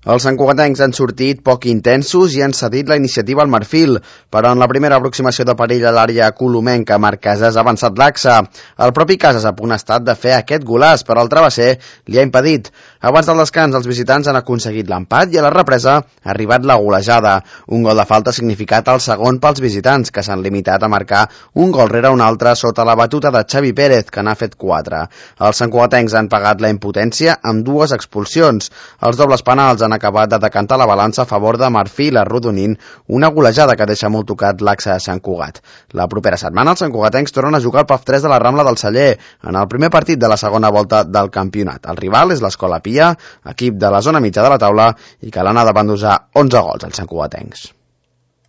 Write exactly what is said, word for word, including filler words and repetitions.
Els santcugatencs han sortit poc intensos i han cedit la iniciativa al Marfil, però en la primera aproximació de perill a l'àrea colomenca, Marc Casas ha avançat l'axe. El propi Casas ha estat de fer aquest golaç, però el travesser li ha impedit. Abans del descans, els visitants han aconseguit l'empat i a la represa ha arribat la golejada. Un gol de falta ha significat el segon pels visitants, que s'han limitat a marcar un gol rere un altre sota la batuta de Xavi Pérez, que n'ha fet quatre. Els santcugatencs han pagat la impotència amb dues expulsions. Els dobles penals han acabat de decantar la balança a favor de Marfil, arrodonint una golejada que deixa molt tocat l'axe de Sant Cugat. La propera setmana els santcugatencs tornen a jugar al P A F tres de la Rambla del Celler en el primer partit de la segona volta del campionat. El rival és l'Escola Pia, equip de la zona mitja de la taula i que l'ha anat davant d'usar onze gols als santcugatencs.